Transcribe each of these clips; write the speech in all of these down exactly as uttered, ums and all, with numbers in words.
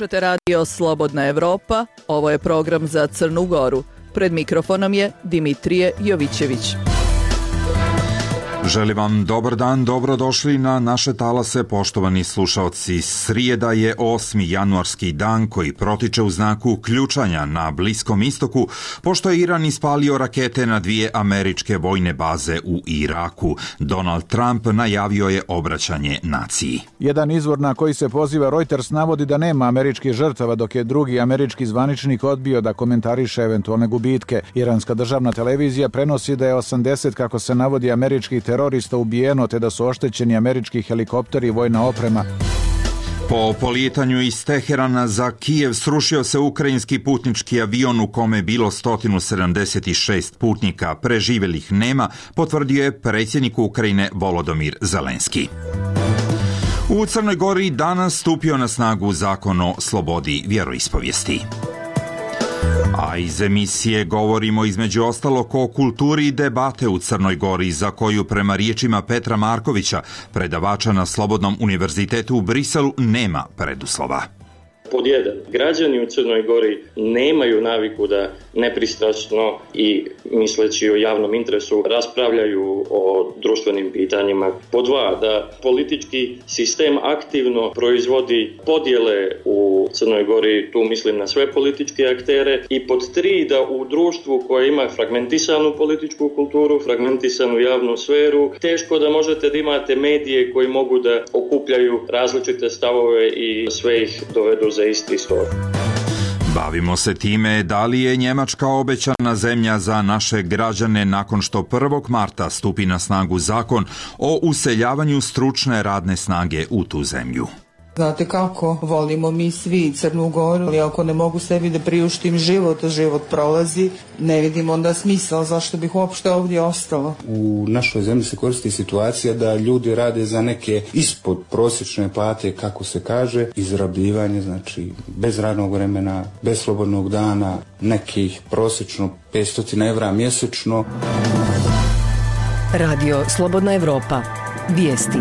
Slušate radio Slobodna Evropa, ovo je program za Crnu Goru. Pred mikrofonom je Dimitrije Jovićević. Želim vam dobar dan, dobrodošli na naše talase, poštovani slušaoci. Srijeda je osmi januarski dan koji protiče u znaku ključanja na Bliskom istoku, pošto je Iran ispalio rakete na dvije američke vojne baze u Iraku. Donald Trump najavio je obraćanje naciji. Jedan izvor na koji se poziva Reuters navodi da nema američkih žrtava, dok je drugi američki zvaničnik odbio da komentariše eventualne gubitke. Iranska državna televizija prenosi da je osamdeset, kako se navodi, američkih terorista ubijeno, te da su oštećeni američki helikopteri i vojna oprema. Po polijetanju iz Teherana za Kijev srušio se ukrajinski putnički avion u kome je bilo sto sedamdeset šest putnika. Preživjelih nema, potvrdio je predsjednik Ukrajine Volodymyr Zelenski. U Crnoj Gori danas stupio na snagu zakon o slobodi vjeroispovijesti. A iz emisije govorimo između ostalog o kulturi i debate u Crnoj Gori, za koju prema riječima Petra Markovića, predavača na Slobodnom univerzitetu u Briselu, nema preduslova. Pod jedan, građani u Crnoj Gori nemaju naviku da nepristrasno i misleći o javnom interesu raspravljaju o društvenim pitanjima. Pod dva, da politički sistem aktivno proizvodi podjele u Crnoj Gori, tu mislim na sve političke aktere. I pod tri, da u društvu koje ima fragmentisanu političku kulturu, fragmentisanu javnu sferu, teško da možete da imate medije koji mogu da okupljaju različite stavove i sve ih dovedu za isti stol. Bavimo se time da li je Njemačka obećana zemlja za naše građane nakon što prvog marta stupi na snagu zakon o useljavanju stručne radne snage u tu zemlju. Znate kako, volimo mi svi Crnu Goru, ali ako ne mogu sebi da priuštim život, a život prolazi, ne vidim onda smisla zašto bih uopšte ovdje ostala. U našoj zemlji se koristi situacija da ljudi rade za neke ispod prosječne plate, kako se kaže, izrabljivanje, znači bez radnog vremena, bez slobodnog dana, nekih prosječno petsto evra mjesečno. Radio Slobodna Evropa. Vijesti.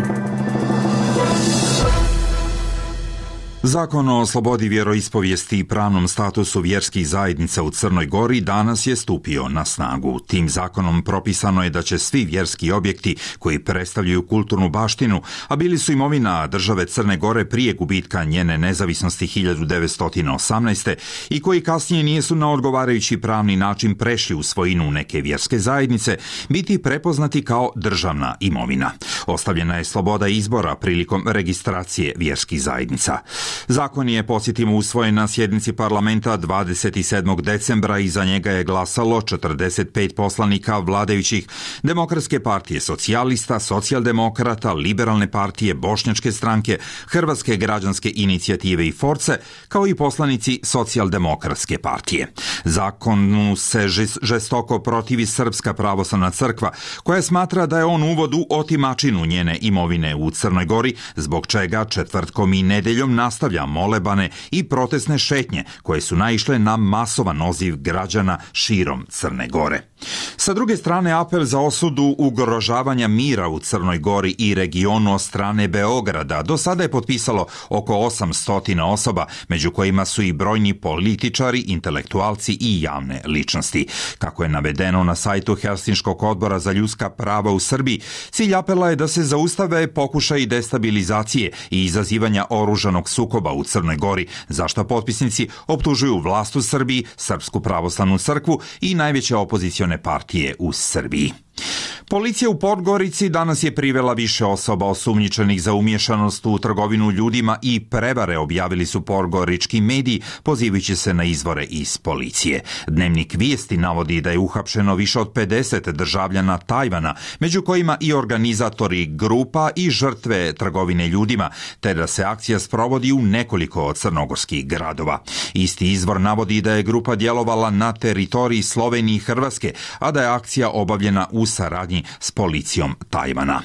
Zakon o slobodi vjeroispovijesti i pravnom statusu vjerskih zajednica u Crnoj Gori danas je stupio na snagu. Tim zakonom propisano je da će svi vjerski objekti koji predstavljaju kulturnu baštinu, a bili su imovina države Crne Gore prije gubitka njene nezavisnosti hiljadu devetsto osamnaeste. i koji kasnije nisu na odgovarajući pravni način prešli u svojinu neke vjerske zajednice, biti prepoznati kao državna imovina. Ostavljena je sloboda izbora prilikom registracije vjerskih zajednica. Zakon je, podsjetimo, usvojen na sjednici parlamenta dvadeset sedmog decembra i za njega je glasalo četrdeset pet poslanika vladajućih Demokratske partije socijalista, socijaldemokrata, Liberalne partije, Bošnjačke stranke, Hrvatske građanske inicijative i Force, kao i poslanici Socijaldemokratske partije. Zakonu se žestoko protivi Srpska pravoslavna crkva, koja smatra da je on uvod u otimačinu njene imovine u Crnoj Gori, zbog čega četvrtkom i nedeljom nastavlja molebane i protestne šetnje koje su naišle na masovan odziv građana širom Crne Gore. Sa druge strane, apel za osudu ugrožavanja mira u Crnoj Gori i regionu od strane Beograda do sada je potpisalo oko osamsto osoba, među kojima su i brojni političari, intelektualci i javne ličnosti. Kako je navedeno na sajtu Helsinškog odbora za ljudska prava u Srbiji, cilj apela je da se zaustave pokušaji destabilizacije i izazivanja oružanog sukoba u Crnoj Gori, za što potpisnici optužuju vlast u Srbiji, Srpsku pravoslavnu crkvu i najveće opozicione partije u Srbiji. Policija u Podgorici danas je privela više osoba osumnjičenih za umješanost u trgovinu ljudima i prevare, objavili su podgorički mediji, pozivajući se na izvore iz policije. Dnevnik Vijesti navodi da je uhapšeno više od pedeset državljana Tajvana, među kojima i organizatori grupa i žrtve trgovine ljudima, te da se akcija sprovodi u nekoliko crnogorskih gradova. Isti izvor navodi da je grupa djelovala na teritoriji Slovenije i Hrvatske, a da je akcija obavljena u saradnji saradnji s policijom Tajvana.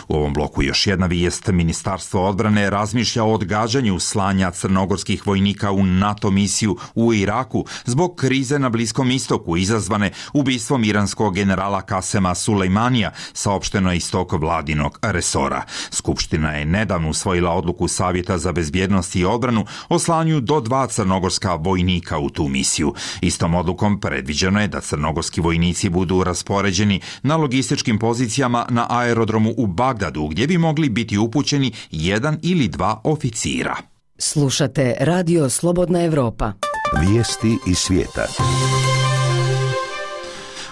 U ovom bloku još jedna vijest. Ministarstvo odbrane razmišlja o odgađanju slanja crnogorskih vojnika u NATO misiju u Iraku zbog krize na Bliskom istoku izazvane ubistvom iranskog generala Kasema Sulejmanija, saopšteno je iz tog vladinog resora. Skupština je nedavno usvojila odluku Savjeta za bezbjednost i odbranu o slanju do dva crnogorska vojnika u tu misiju. Istom odlukom predviđeno je da crnogorski vojnici budu raspoređeni na logističkim pozicijama na aerodromu u Bagdadu, gdje bi mogli biti upućeni jedan ili dva oficira. Slušate Radio Slobodna Evropa. Vijesti iz svijeta.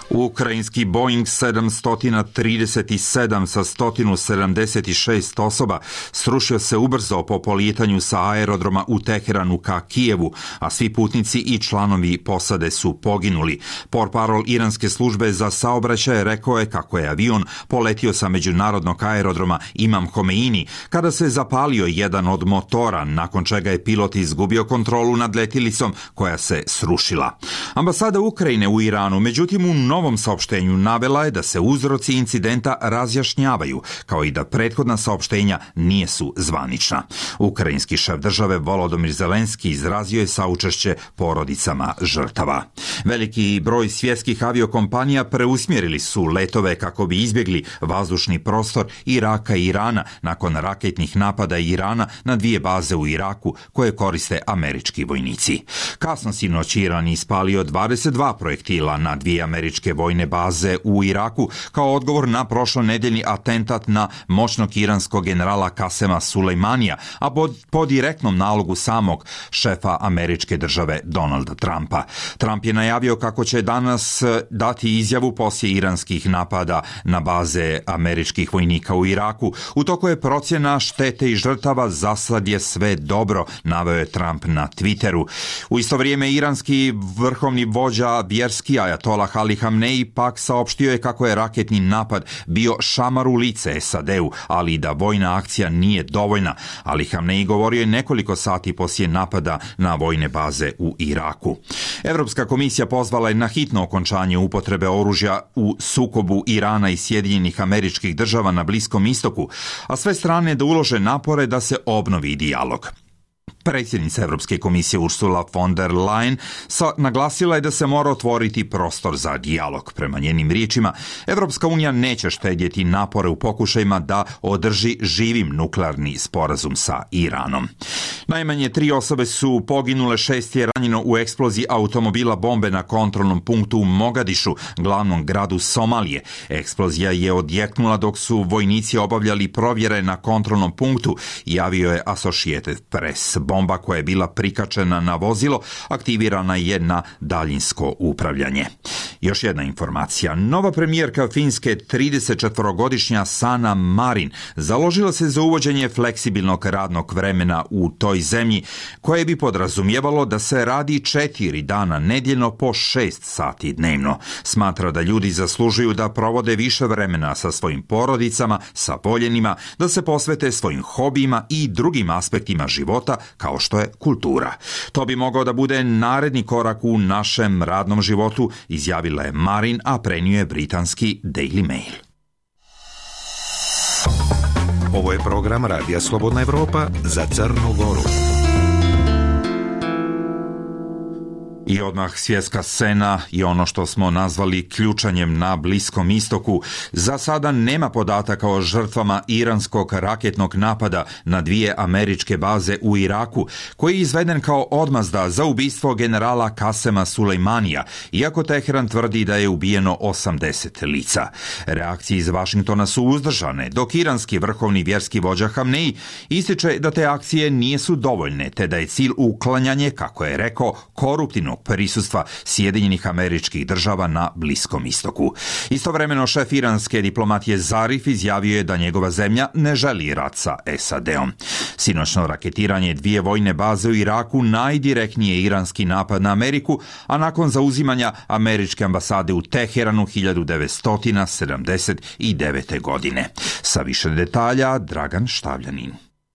Ukrajinski Boeing sedamsto trideset sedam sa sto sedamdeset šest osoba srušio se ubrzo po polijetanju sa aerodroma u Teheranu ka Kijevu, a svi putnici i članovi posade su poginuli. Portparol iranske službe za saobraćaj rekao je kako je avion poletio sa međunarodnog aerodroma Imam Homeini kada se zapalio jedan od motora, nakon čega je pilot izgubio kontrolu nad letjelicom koja se srušila. Ambasada Ukrajine u Iranu, međutim, u novom saopštenju navela je da se uzroci incidenta razjašnjavaju, kao i da prethodna saopštenja nisu zvanična. Ukrajinski šef države Volodymyr Zelenski izrazio je saučešće porodicama žrtava. Veliki broj svjetskih aviokompanija preusmjerili su letove kako bi izbjegli vazdušni prostor Iraka i Irana nakon raketnih napada Irana na dvije baze u Iraku koje koriste američki vojnici. Kasno sinoć Iran ispalio dvadeset dva projektila na dvije američke vojne baze u Iraku kao odgovor na prošlonedjeljni atentat na moćnog iranskog generala Kasema Sulejmanija, a pod, po direktnom nalogu samog šefa američke države Donalda Trumpa. Trump je najavio kako će danas dati izjavu poslije iranskih napada na baze američkih vojnika u Iraku. U toku je procjena štete i žrtava, zasad je sve dobro, naveo je Trump na Twitteru. U isto vrijeme iranski vrhovni vođa vjerski ajatolah Ali Hamneji pak saopštio je kako je raketni napad bio šamar u lice S A D-u, ali i da vojna akcija nije dovoljna. Ali Hamneji govorio je nekoliko sati poslije napada na vojne baze u Iraku. Europska komisija pozvala je na hitno okončanje upotrebe oružja u sukobu Irana i Sjedinjenih Američkih Država na Bliskom istoku, a sve strane da ulože napore da se obnovi dijalog. Predsjednica Europske komisije Ursula von der Leyen naglasila je da se mora otvoriti prostor za dijalog. Prema njenim riječima, Europska unija neće štedjeti napore u pokušajima da održi živim nuklearni sporazum sa Iranom. Najmanje tri osobe su poginule, šest je ranjeno u eksploziji automobila bombe na kontrolnom punktu u Mogadišu, glavnom gradu Somalije. Eksplozija je odjeknula dok su vojnici obavljali provjere na kontrolnom punktu, javio je Associated Press. Bomba koja je bila prikačena na vozilo aktivirana je na daljinsko upravljanje. Još jedna informacija. Nova premijerka Finske, tridesetčetvorogodišnja Sanna Marin, založila se za uvođenje fleksibilnog radnog vremena u toj zemlji, koje bi podrazumijevalo da se radi četiri dana nedjeljno po šest sati dnevno. Smatra da ljudi zaslužuju da provode više vremena sa svojim porodicama, sa voljenima, da se posvete svojim hobijima i drugim aspektima života kao što je kultura. To bi mogao da bude naredni korak u našem radnom životu, izjavila je Marin, a prenio je britanski Daily Mail. Ovo je program Radija Slobodna Evropa za Crnu Goru. I odmah svjetska scena i ono što smo nazvali ključanjem na Bliskom istoku. Za sada nema podataka o žrtvama iranskog raketnog napada na dvije američke baze u Iraku, koji je izveden kao odmazda za ubistvo generala Kasema Sulejmanija, iako Teheran tvrdi da je ubijeno osamdeset lica. Reakcije iz Vašingtona su uzdržane, dok iranski vrhovni vjerski vođa Hamneji ističe da te akcije nisu dovoljne, te da je cilj uklanjanje, kako je rekao, koruptivnog prisustva Sjedinjenih Američkih Država na Bliskom istoku. Istovremeno šef iranske diplomatije Zarif izjavio je da njegova zemlja ne želi rat sa S A D-om. Sinoćno raketiranje dvije vojne baze u Iraku najdirektnije iranski napad na Ameriku, a nakon zauzimanja američke ambasade u Teheranu hiljadu devetsto sedamdeset devete. godine. Sa više detalja Dragan Štavljanin.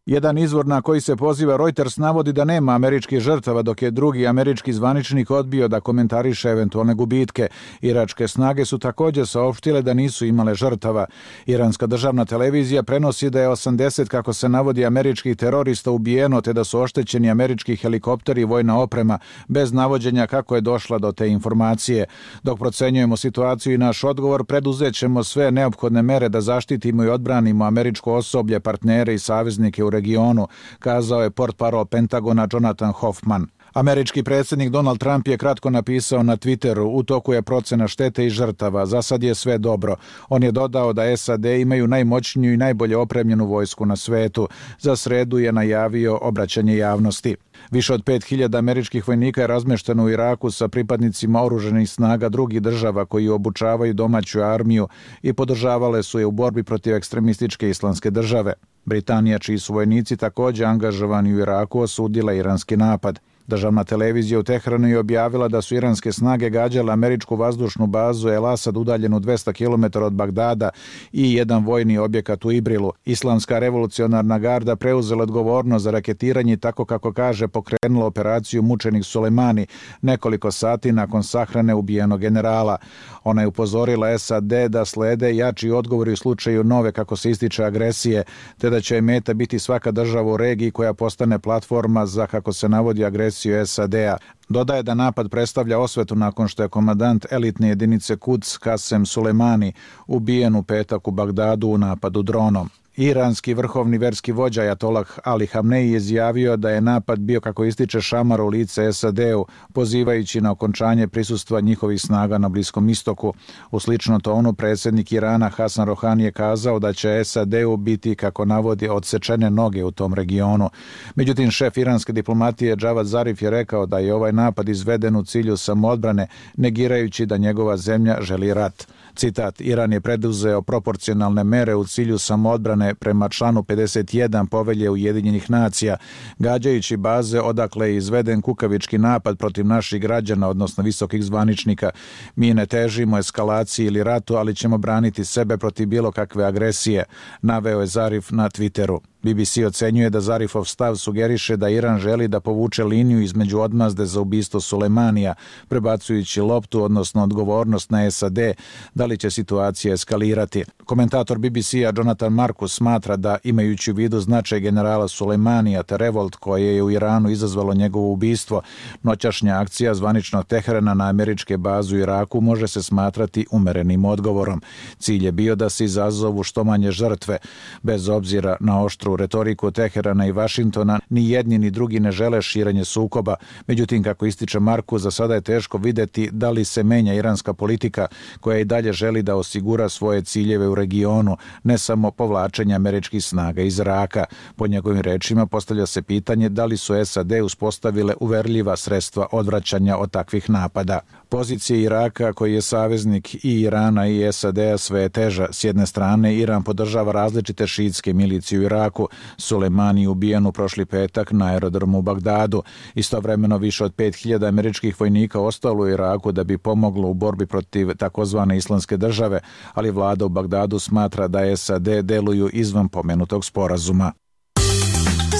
Jedan izvor na koji se poziva Reuters navodi da nema američkih žrtava, dok je drugi američki zvaničnik odbio da komentariše eventualne gubitke. Iračke snage su također saopštile da nisu imale žrtava. Iranska državna televizija prenosi da je osamdeset, kako se navodi, američkih terorista ubijeno, te da su oštećeni američki helikopteri i vojna oprema, bez navođenja kako je došla do te informacije. Dok procenjujemo situaciju i naš odgovor, preduzet ćemo sve neophodne mere da zaštitimo i odbranimo američko osoblje, partnere i saveznike u regionu, kazao je portparol Pentagona Jonathan Hoffman. Američki predsjednik Donald Trump je kratko napisao na Twitteru: u toku je procena štete i žrtava, za sad je sve dobro. On je dodao da S A D imaju najmoćniju i najbolje opremljenu vojsku na svetu. Za sredu je najavio obraćanje javnosti. Više od pet hiljada američkih vojnika je razmešteno u Iraku sa pripadnicima oružanih snaga drugih država koji obučavaju domaću armiju i podržavale su je u borbi protiv ekstremističke islamske države. Britanija, čiji su vojnici također angažovani u Iraku, osudila iranski napad. Državna televizija u Teheranu je objavila da su iranske snage gađale američku vazdušnu bazu El Asad udaljenu dvesta kilometara od Bagdada i jedan vojni objekat u Ibrilu. Islamska revolucionarna garda preuzela odgovornost za raketiranje i, tako kako kaže, pokrenula operaciju Mučenik Sulejmani nekoliko sati nakon sahrane ubijenog generala. Ona je upozorila S A D da slede jači odgovori u slučaju nove, kako se ističe, agresije, te da će meta biti svaka država u regiji koja postane platforma za, kako se navodi, agresiju S A D-a. Dodaje da napad predstavlja osvetu nakon što je komandant elitne jedinice Quds Kasem Sulejmani ubijen u petak u Bagdadu u napadu dronom. Iranski vrhovni verski vođa Ajatolah Ali Hamneji je izjavio da je napad bio, kako ističe, šamar u lice S A D-u, pozivajući na okončanje prisustva njihovih snaga na Bliskom istoku. U slično tonu predsjednik Irana Hasan Rohani je kazao da će S A D-u biti, kako navodi, odsečene noge u tom regionu. Međutim, šef iranske diplomatije Javad Zarif je rekao da je ovaj napad izveden u cilju samoodbrane, negirajući da njegova zemlja želi rat. Citat: Iran je preduzeo proporcionalne mere u cilju samoodbrane prema članu pedeset jedan Povelje Ujedinjenih nacija, gađajući baze odakle je izveden kukavički napad protiv naših građana, odnosno visokih zvaničnika. Mi ne težimo eskalaciji ili ratu, ali ćemo braniti sebe protiv bilo kakve agresije, naveo je Zarif na Twitteru. B B C ocenjuje da Zarifov stav sugeriše da Iran želi da povuče liniju između odmazde za ubistvo Sulejmanija, prebacujući loptu, odnosno odgovornost, na S A D, da li će situacija eskalirati. Komentator B B C-a Jonathan Marcus smatra da, imajući u vidu značaj generala Sulejmanija te revolt koje je u Iranu izazvalo njegovo ubistvo, noćašnja akcija zvaničnog Teherana na američke baze u Iraku može se smatrati umerenim odgovorom. Cilj je bio da se izazovu što manje žrtve. Bez obzira na oštru retoriku Teherana i Vašingtona, ni jedni ni drugi ne žele širenje sukoba. Međutim, kako ističe Markus, za sada je teško vidjeti da li se menja iranska politika, koja i dalje želi da osigura svoje ciljeve u regionu, ne samo povlačenje američkih snaga iz Iraka. Po njegovim rečima postavlja se pitanje da li su S A D uspostavile uverljiva sredstva odvraćanja od takvih napada. Pozicija Iraka, koji je saveznik i Irana i S A D-a, sve je teža. S jedne strane, Iran podržava različite šiitske milicije u Iraku. Sulejmani je ubijen u prošli petak na aerodromu u Bagdadu. Istovremeno više od pet hiljada američkih vojnika ostalo u Iraku da bi pomoglo u borbi protiv takozvane islamske države, ali vlada u Bagdadu smatra da S A D deluju izvan pomenutog sporazuma.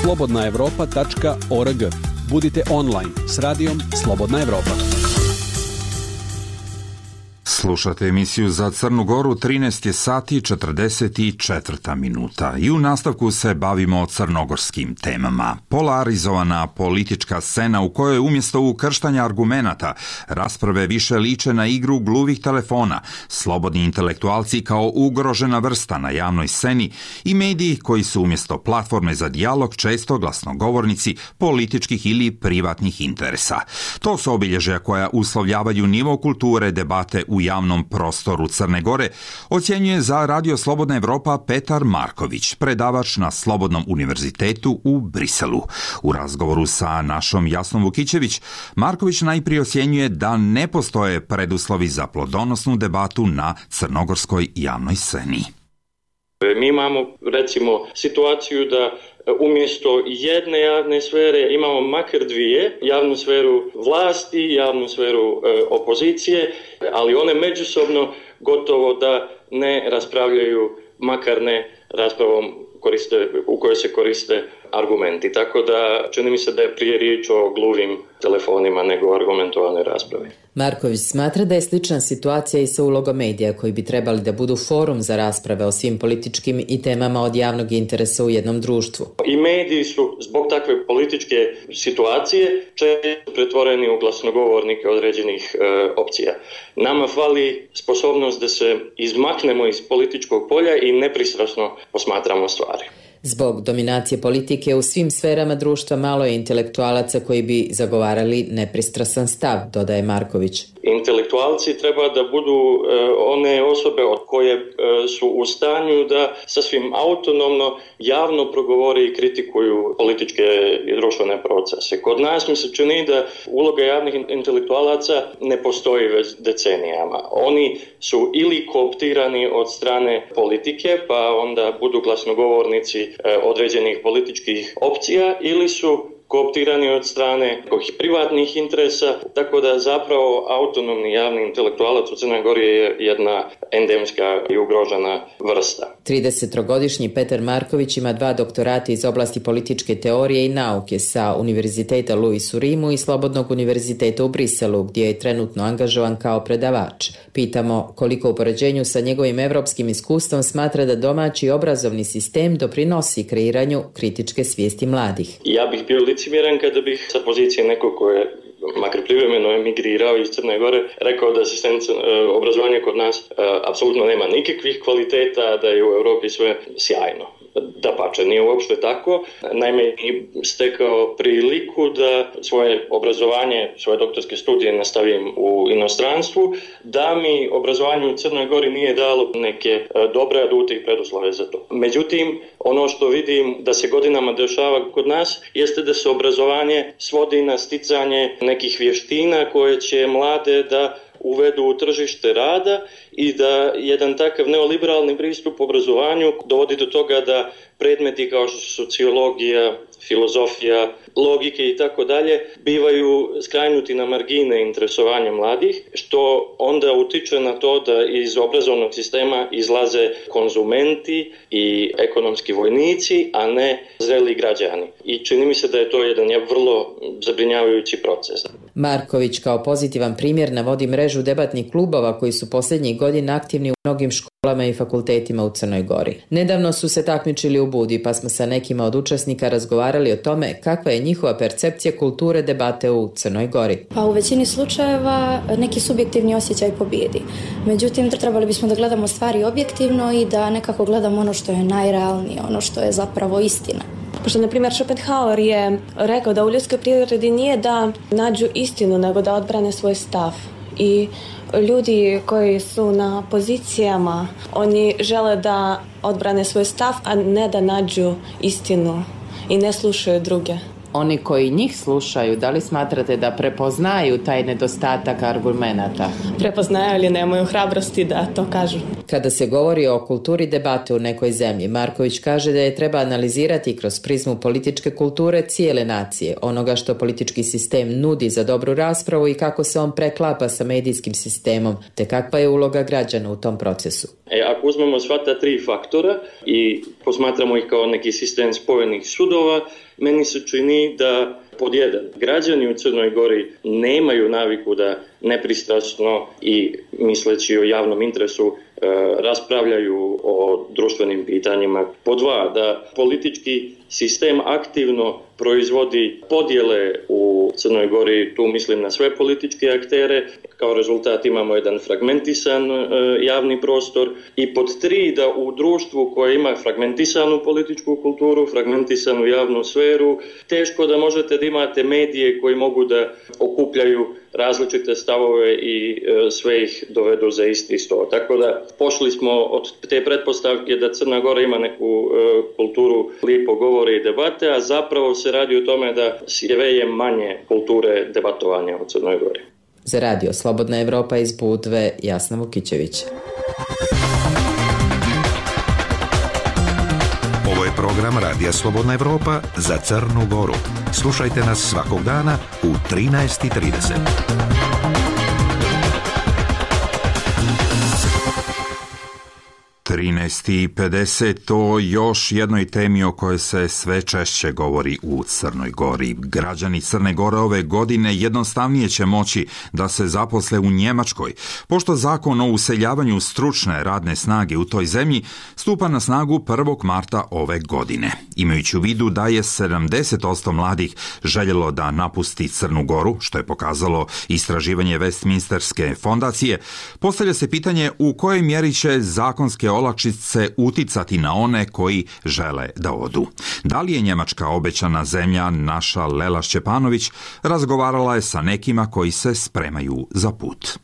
slobodna evropa tačka org. Budite online s radijom Slobodna Evropa. Slušate emisiju Za Crnu Goru, trinaest je sati i četrdeset četiri minuta i u nastavku se bavimo crnogorskim temama. Polarizovana politička scena u kojoj umjesto ukrštanja argumenata rasprave više liče na igru gluvih telefona, slobodni intelektualci kao ugrožena vrsta na javnoj sceni i mediji koji su umjesto platforme za dijalog često glasnogovornici političkih ili privatnih interesa. To su obilježja koja uslovljavaju nivo kulture debate u javnom prostoru Crne Gore, ocjenjuje za Radio Slobodna Evropa Petar Marković, predavač na Slobodnom univerzitetu u Briselu. U razgovoru sa našom Jasnom Vukićević, Marković najprije ocjenjuje da ne postoje preduslovi za plodonosnu debatu na crnogorskoj javnoj sceni. Mi imamo, recimo, situaciju da umjesto jedne javne sfere imamo makar dvije, javnu sferu vlasti, javnu sferu e, opozicije, ali one međusobno gotovo da ne raspravljaju, makar ne raspravom koriste, u kojoj se koriste argumenti. Tako da čini mi se da je prije riječ o gluvim telefonima nego o argumentovanoj raspravi. Marković smatra da je slična situacija i sa ulogom medija koji bi trebali da budu forum za rasprave o svim političkim i temama od javnog interesa u jednom društvu. I mediji su zbog takve političke situacije često pretvoreni u glasnogovornike određenih e, opcija. Nama fali sposobnost da se izmaknemo iz političkog polja i nepristrasno posmatramo stvari. Zbog dominacije politike u svim sferama društva malo je intelektualaca koji bi zagovarali nepristrasan stav, dodaje Marković. Intelektualci treba da budu e, one osobe od koje e, su u stanju da sasvim autonomno javno progovore i kritikuju političke i društvene procese. Kod nas mi se čini da uloga javnih intelektualaca ne postoji već decenijama. Oni su ili kooptirani od strane politike, pa onda budu glasnogovornici e, određenih političkih opcija, ili su kooptirani od strane nekih privatnih interesa, tako da zapravo autonomni javni intelektualac u Crnoj Gori je jedna endemska i ugrožena vrsta. tridesettrogodišnji Petar Marković ima dva doktorata iz oblasti političke teorije i nauke sa Univerziteta Louis u Rimu i Slobodnog univerziteta u Briselu, gdje je trenutno angažovan kao predavač. Pitamo koliko u poređenju sa njegovim evropskim iskustvom smatra da domaći obrazovni sistem doprinosi kreiranju kritičke svijesti mladih. Ja bih bio licemjeran kada bih sa pozicije nekog ko je makar privremeno emigrirao iz Crne Gore, rekao da sistem obrazovanja kod nas apsolutno nema nikakvih kvaliteta, da je u Europi sve sjajno. Dapače, nije uopšte tako. Naime, stekao priliku da svoje obrazovanje, svoje doktorske studije nastavim u inostranstvu, da mi obrazovanje u Crnoj Gori nije dalo neke dobre adute i preduslove za to. Međutim, ono što vidim da se godinama dešava kod nas jeste da se obrazovanje svodi na sticanje nekih vještina koje će mlade da uvedu u tržište rada i da jedan takav neoliberalni pristup obrazovanju dovodi do toga da predmeti kao što su sociologija, filozofija, logike i tako dalje bivaju skrajnuti na margine interesovanja mladih, što onda utiče na to da iz obrazovnog sistema izlaze konzumenti i ekonomski vojnici, a ne zreli građani. I čini mi se da je to jedan vrlo zabrinjavajući proces. Marković kao pozitivan primjer navodi mrežu debatnih klubova koji su posljednjih godina aktivni u mnogim školama i fakultetima u Crnoj Gori. Nedavno su se takmičili u Budi, pa smo sa nekima od učesnika razgovarali o tome kakva je njihova percepcija kulture debate u Crnoj Gori. Pa u većini slučajeva neki subjektivni osjećaj pobjedi. Međutim, trebali bismo da gledamo stvari objektivno i da nekako gledamo ono što je najrealnije, ono što je zapravo istina. Pošto, na primjer, Schopenhauer je rekao da u ljudskoj prirodi nije da nađu istinu, nego da odbrane svoj stav. I ljudi koji su na pozicijama, oni žele da odbrane svoj stav, a ne da nađu istinu i ne slušaju druge. Oni koji njih slušaju, da li smatrate da prepoznaju taj nedostatak argumenata? Prepoznaju, ali nemaju hrabrosti da to kažu. Kada se govori o kulturi debate u nekoj zemlji, Marković kaže da je treba analizirati kroz prizmu političke kulture cijele nacije, onoga što politički sistem nudi za dobru raspravu i kako se on preklapa sa medijskim sistemom, te kakva je uloga građana u tom procesu. E, ako uzmemo sva ta tri faktora i posmatramo ih kao neki sistem spojenih sudova, meni se čini da pod jedan, građani u Crnoj Gori nemaju naviku da nepristrasno i misleći o javnom interesu e, raspravljaju o društvenim pitanjima. Pod dva, da politički sistem aktivno proizvodi podjele u Crnoj Gori, tu mislim na sve političke aktere, kao rezultat imamo jedan fragmentisan e, javni prostor. I pod tri, da u društvu koje ima fragmentisanu političku kulturu, fragmentisanu javnu sferu, teško da možete da imate medije koji mogu da okupljaju različite stavove i e, sve ih dovedu za isti sto. Tako da pošli smo od te pretpostavke da Crna Gora ima neku e, kulturu lipo govore i debate, a zapravo se radi o tome da sve je manje kulture debatovanja u Crnoj Gori. Za radio Slobodna Evropa iz Budve, Jasna Vukićević. Ovo je program Radija Slobodna Evropa za Crnu Goru. Slušajte nas svakog dana u trinaest i trideset. trinaest i pedeset o još jednoj temi o kojoj se sve češće govori u Crnoj Gori. Građani Crne Gore ove godine jednostavnije će moći da se zaposle u Njemačkoj, pošto zakon o useljavanju stručne radne snage u toj zemlji stupa na snagu prvog marta ove godine. Imajući u vidu da je sedamdeset posto mladih željelo da napusti Crnu Goru, što je pokazalo istraživanje Westminsterske fondacije, postavlja se pitanje u kojoj mjeri će zakonske olakšice uticati na one koji žele da odu. Da li je Njemačka obećana zemlja? Naša Lela Šćepanović razgovarala je sa nekima koji se spremaju za put.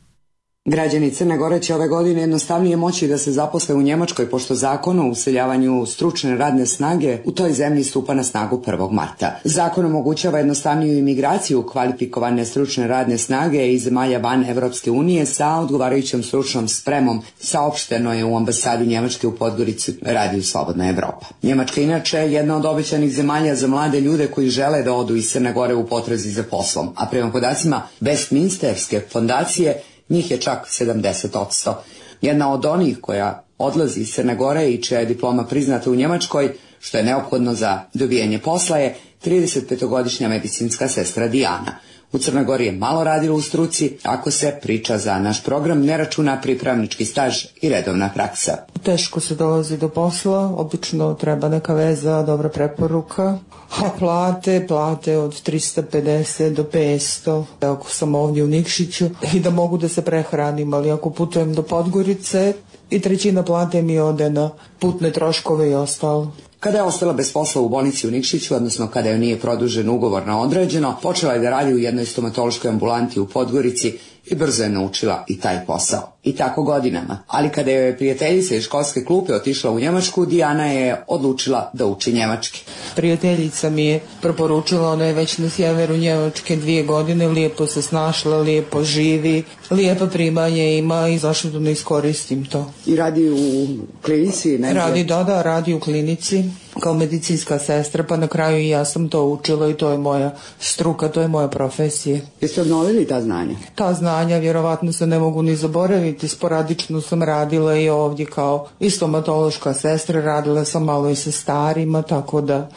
Građani Crne Gore će ove godine jednostavnije moći da se zaposle u Njemačkoj, pošto zakon o useljavanju stručne radne snage u toj zemlji stupa na snagu prvog marta. Zakon omogućava jednostavniju imigraciju kvalifikovane stručne radne snage iz zemalja van Evropske unije sa odgovarajućom stručnom spremom, saopšteno je u ambasadi Njemačke u Podgorici radiju Slobodna Evropa. Njemačka inače je jedna od obećanih zemalja za mlade ljude koji žele da odu iz Crne Gore u potrazi za poslom, a prema podacima Westminsterske fondacije njih je čak sedamdeset posto. Jedna od onih koja odlazi iz Crne Gore i čija je diploma priznata u Njemačkoj, što je neophodno za dobijanje posla, je tridesetpetogodišnja medicinska sestra Dijana. U Crnoj Gori je malo radila u struci, ako se priča za naš program ne računa pripravnički staž i redovna praksa. Teško se dolazi do posla, obično treba neka veza, dobra preporuka, a plate, plate od trista pedeset do petsto, ako sam ovdje u Nikšiću, i da mogu da se prehranim, ali ako putujem do Podgorice i trećina plate mi ode na putne troškove i ostalo. Kada je ostala bez posla u bolnici u Nikšiću, odnosno kada joj nije produžen ugovor na određeno, počela je da radi u jednoj stomatološkoj ambulanti u Podgorici i brzo je naučila i taj posao. I tako godinama. Ali kada je prijateljica iz školske klupe otišla u Njemačku, Dijana je odlučila da uči njemački. Prijateljica mi je preporučila, ona je već na sjeveru Njemačke dvije godine, lijepo se snašla, lijepo živi, lijepa primanje ima i zašto da ne iskoristim to. I radi u klinici? Negdje? Radi, da, da, radi u klinici kao medicinska sestra, pa na kraju i ja sam to učila i to je moja struka, to je moja profesija. Jeste obnovili ta znanja? Ta znanja vjerovatno se ne mogu ni zaboraviti, sporadično sam radila i ovdje kao i stomatološka sestra, radila sam malo i sa starima, tako da...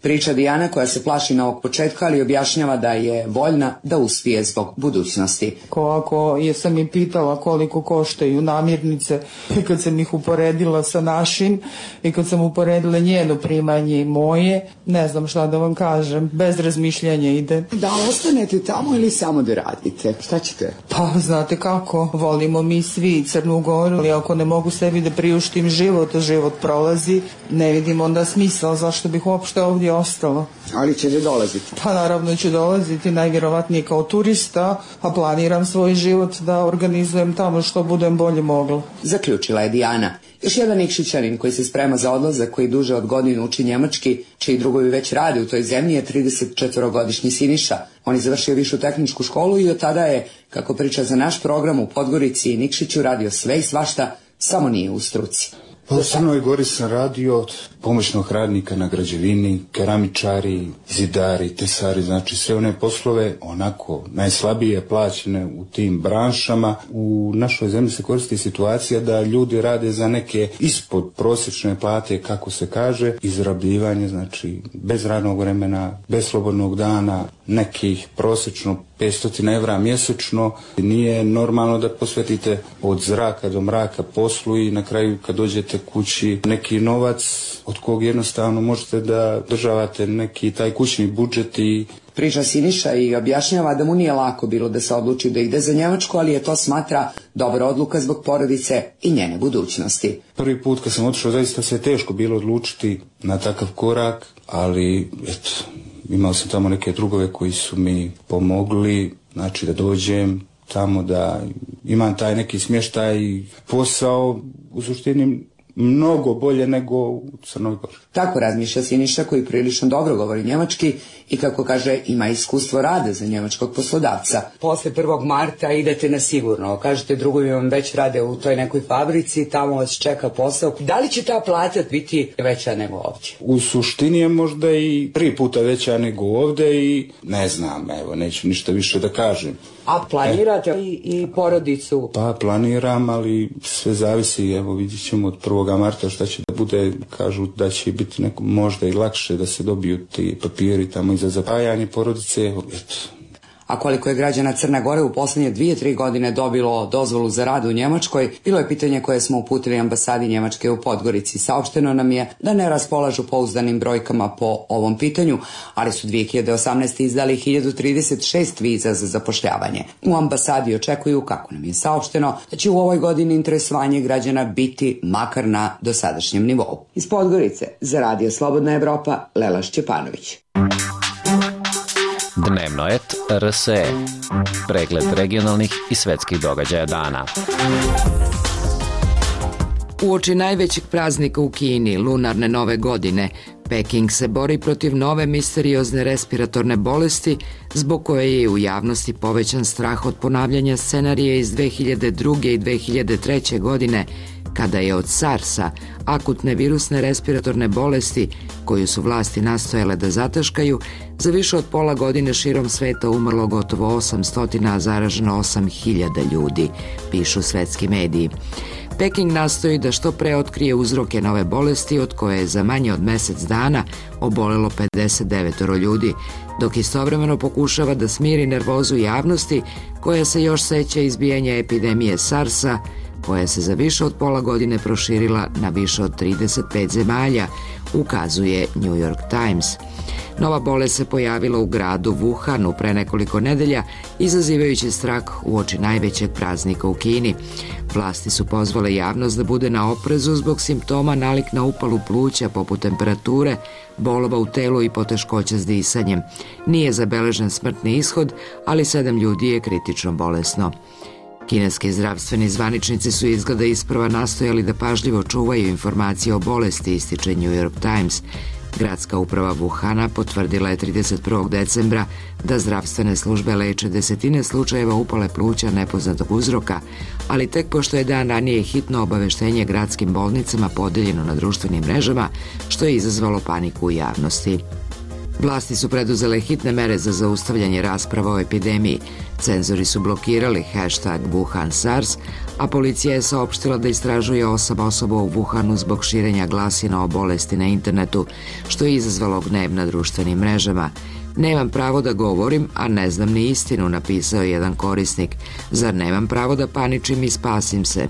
Priča Dijana koja se plaši novog početka, ali objašnjava da je voljna da uspije zbog budućnosti. Ko ako je sam im pitala koliko koštaju namirnice i kad sam ih uporedila sa našim i kad sam uporedila njeno primanje i moje, ne znam šta da vam kažem, bez razmišljanja ide. Da ostanete tamo ili samo da radite? Šta ćete? Pa znate kako, volimo mi svi Crnu Goru, ali ako ne mogu sebi da priuštim život, a život prolazi, ne vidim onda smisla zašto bih uopšte ovdje ostalo. Ali ćete dolaziti? Pa naravno ću dolaziti, najvjerovatnije kao turista, a planiram svoj život da organizujem tamo što budem bolje mogla. Zaključila je Dijana. Još jedan Nikšićanin koji se sprema za odlazak, koji duže od godinu uči njemački, čiji drugovi već rade u toj zemlji, je tridesetčetvorogodišnji Siniša. On je završio višu tehničku školu i od tada je, kako priča za naš program, u Podgorici i Nikšiću radio sve i svašta, samo nije u struci. Pa u Crnoj Gori sam radio od pomoćnog radnika na građevini, keramičari, zidari, tesari, znači sve one poslove onako najslabije plaćene u tim branšama. U našoj zemlji se koristi situacija da ljudi rade za neke ispod prosječne plate, kako se kaže, izrabljivanje, znači bez radnog vremena, bez slobodnog dana, nekih prosječno petsto evra mjesečno. Nije normalno da posvetite od zraka do mraka poslu i na kraju kad dođete kući neki novac od kog jednostavno možete da državate neki taj kućni budžet. I priča Siniša i objašnjava da mu nije lako bilo da se odluči da ide za Njemačku, ali je to smatra dobra odluka zbog porodice i njene budućnosti. Prvi put kad sam otišao zaista se teško bilo odlučiti na takav korak, ali eto, imao sam tamo neke drugove koji su mi pomogli, znači da dođem tamo, da imam taj neki smještaj i posao u suštini mnogo bolje nego u Crnoj Gori. Tako razmišlja Siniša, koji prilično dobro govori njemački i, kako kaže, ima iskustvo rada za njemačkog poslodavca. Posle prvog marta idete na sigurno. Kažete drugovi vam već rade u toj nekoj fabrici, tamo vas čeka posao. Da li će ta plata biti veća nego ovdje? U suštini je možda i tri puta veća nego ovdje i ne znam, evo, neću ništa više da kažem. A planirate e, i, i porodicu? Pa planiram, ali sve zavisi, evo vidjet ćemo od prvog marta šta će da bude, kažu da će biti neko, možda i lakše da se dobiju ti papiri tamo i za zapajanje porodice, eto. A koliko je građana Crne Gore u posljednje dvije, tri godine dobilo dozvolu za rad u Njemačkoj, bilo je pitanje koje smo uputili ambasadi Njemačke u Podgorici. Saopšteno nam je da ne raspolažu pouzdanim brojkama po ovom pitanju, ali su dvije hiljade osamnaeste. izdali hiljadu trideset šest viza za zapošljavanje. U ambasadi očekuju, kako nam je saopšteno, da će u ovoj godini interesovanje građana biti makar na dosadašnjem nivou. Iz Podgorice, za Radio Slobodna Evropa, Lela Šćepanović. Dnevno et R S E. Pregled regionalnih i svetskih događaja dana. Uoči najvećeg praznika u Kini, lunarne nove godine, Peking se bori protiv nove misteriozne respiratorne bolesti zbog koje je u javnosti povećan strah od ponavljanja scenarije iz dve hiljade druge i dve hiljade treće godine, kada je od SARS-a, akutne virusne respiratorne bolesti, koju su vlasti nastojale da zataškaju, za više od pola godine širom sveta umrlo gotovo osamsto, a zaraženo osam hiljada ljudi, pišu svetski mediji. Peking nastoji da što pre otkrije uzroke nove bolesti, od koje je za manje od mesec dana obolelo pedeset devet ljudi, dok istovremeno pokušava da smiri nervozu javnosti koja se još seća izbijanja epidemije SARS-a, koja se za više od pola godine proširila na više od trideset pet zemalja, ukazuje New York Times. Nova bolest se pojavila u gradu Wuhanu pre nekoliko nedelja, izazivajući strah uoči najvećeg praznika u Kini. Vlasti su pozvale javnost da bude na oprezu zbog simptoma nalik na upalu pluća poput temperature, bolova u telu i poteškoća s disanjem. Nije zabeležen smrtni ishod, ali sedam ljudi je kritično bolesno. Kineski zdravstveni zvaničnici su izgleda isprva nastojali da pažljivo čuvaju informacije o bolesti, ističe New York Times. Gradska uprava Wuhana potvrdila je trideset prvog decembra da zdravstvene službe leče desetine slučajeva upale pluća nepoznatog uzroka, ali tek pošto je dan ranije hitno obaveštenje gradskim bolnicama podeljeno na društvenim mrežama, što je izazvalo paniku u javnosti. Vlasti su preduzele hitne mere za zaustavljanje rasprava o epidemiji. Cenzori su blokirali hashtag Wuhan SARS, a policija je saopštila da istražuje osam osoba u Wuhanu zbog širenja glasina o bolesti na internetu, što je izazvalo gnev na društvenim mrežama. Nemam pravo da govorim, a ne znam ni istinu, napisao je jedan korisnik. Zar nemam pravo da paničim i spasim se?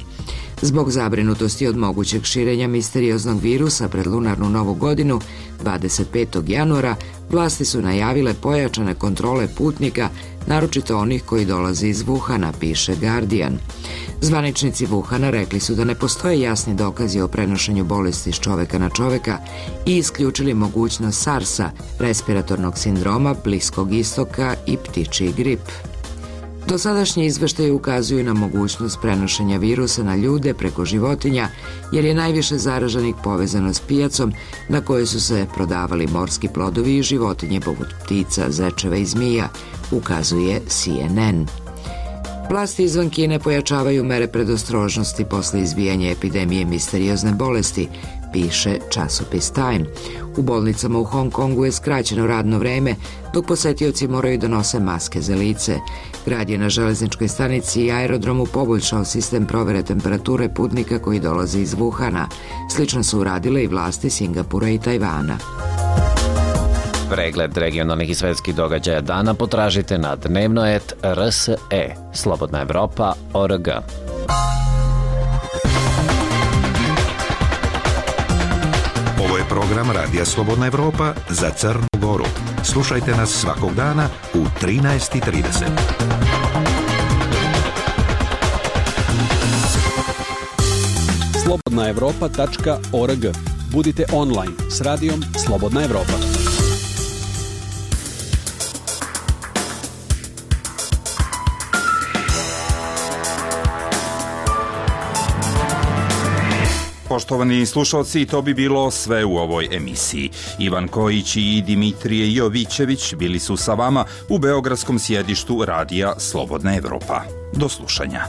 Zbog zabrinutosti od mogućeg širenja misterioznog virusa pred lunarnu novu godinu, dvadeset petog januara, vlasti su najavile pojačane kontrole putnika, naročito onih koji dolaze iz Wuhana, piše Guardian. Zvaničnici Wuhana rekli su da ne postoje jasni dokazi o prenošenju bolesti s čoveka na čoveka i isključili mogućnost SARS-a, respiratornog sindroma, Bliskog istoka i ptičji grip. Dosadašnji izveštaji ukazuju na mogućnost prenošenja virusa na ljude preko životinja, jer je najviše zaraženih povezano s pijacom na kojoj su se prodavali morski plodovi i životinje poput ptica, zečeva i zmija, ukazuje C N N. Vlasti izvan Kine pojačavaju mere predostrožnosti posle izbijanja epidemije misteriozne bolesti, piše časopis Time. U bolnicama u Hong Kongu je skraćeno radno vreme, dok posetioci moraju da nose maske za lice. Grad je na železničkoj stanici i aerodromu poboljšao sistem provere temperature putnika koji dolaze iz Wuhana. Slično su uradile i vlasti Singapura i Tajvana. Pregled regionalnih i svetskih događaja dana potražite na dnevno et R S E, Slobodna Evropa, O R G. Ovo je program Radija Slobodna Evropa za Crnu Goru. Slušajte nas svakog dana u trinaest i trideset. slobodna evropa tačka org. Budite online s radijom Slobodna Evropa. Poštovani slušalci, to bi bilo sve u ovoj emisiji. Ivan Kojić i Dimitrije Jovićević bili su sa vama u beogradskom sjedištu Radija Slobodna Evropa. Do slušanja.